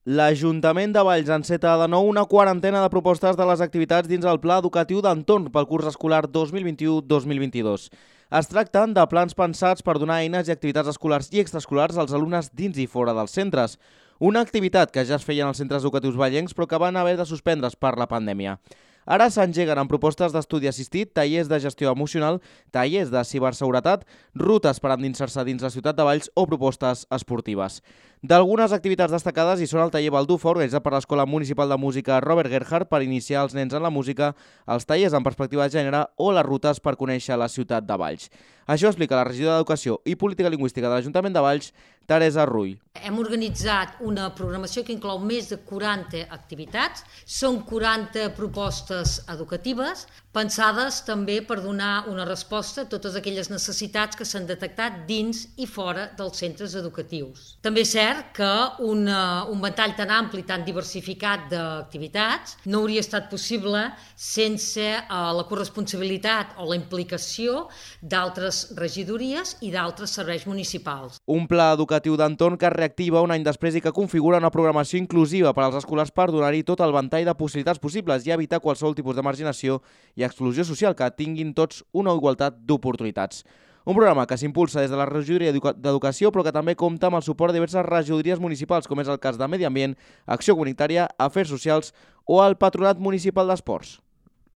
L'Ajuntament de Valls enceta de nou una quarantena de propostes de les activitats dins el Pla Educatiu d'Entorn pel curs escolar 2021-2022. Es tracten de plans pensats per donar eines i activitats escolars i extraescolars als alumnes dins i fora dels centres. Una activitat que ja es feia en els centres educatius vallencs però que van haver de suspendre's per la pandèmia. Ara s'engeguen amb propostes d'estudi assistit, tallers de gestió emocional, tallers de ciberseguretat, rutes per endinsar-se dins la ciutat de Valls o propostes esportives. D'algunes activitats destacades hi són el taller Baldufa, organitzat per l'Escola Municipal de Música Robert Gerhard per iniciar els nens en la música, els tallers en perspectiva de gènere o les rutes per conèixer la ciutat de Valls. Això explica la regidora d'Educació i Política Lingüística de l'Ajuntament de Valls, Teresa Rull. Hem organitzat una programació que inclou més de 40 activitats. Són 40 propostes educatives pensades també per donar una resposta a totes aquelles necessitats que s'han detectat dins i fora dels centres educatius. També és cert que un ventall tan ampli, tan diversificat d'activitats no hauria estat possible sense la corresponsabilitat o la implicació d'altres regidories i d'altres serveis municipals. Un pla educatiu d'entorn que es reactiva un any després i que configura una programació inclusiva per als escolars per donar-hi tot el ventall de possibilitats possibles i evitar qualsevol tipus de marginació i exclusió social, que tinguin tots una igualtat d'oportunitats. Un programa que s'impulsa des de la regidoria d'Educació però que també compta amb el suport de diverses regidories municipals, com és el cas de Medi Ambient, Acció Comunitària, Afers Socials o el Patronat Municipal d'Esports.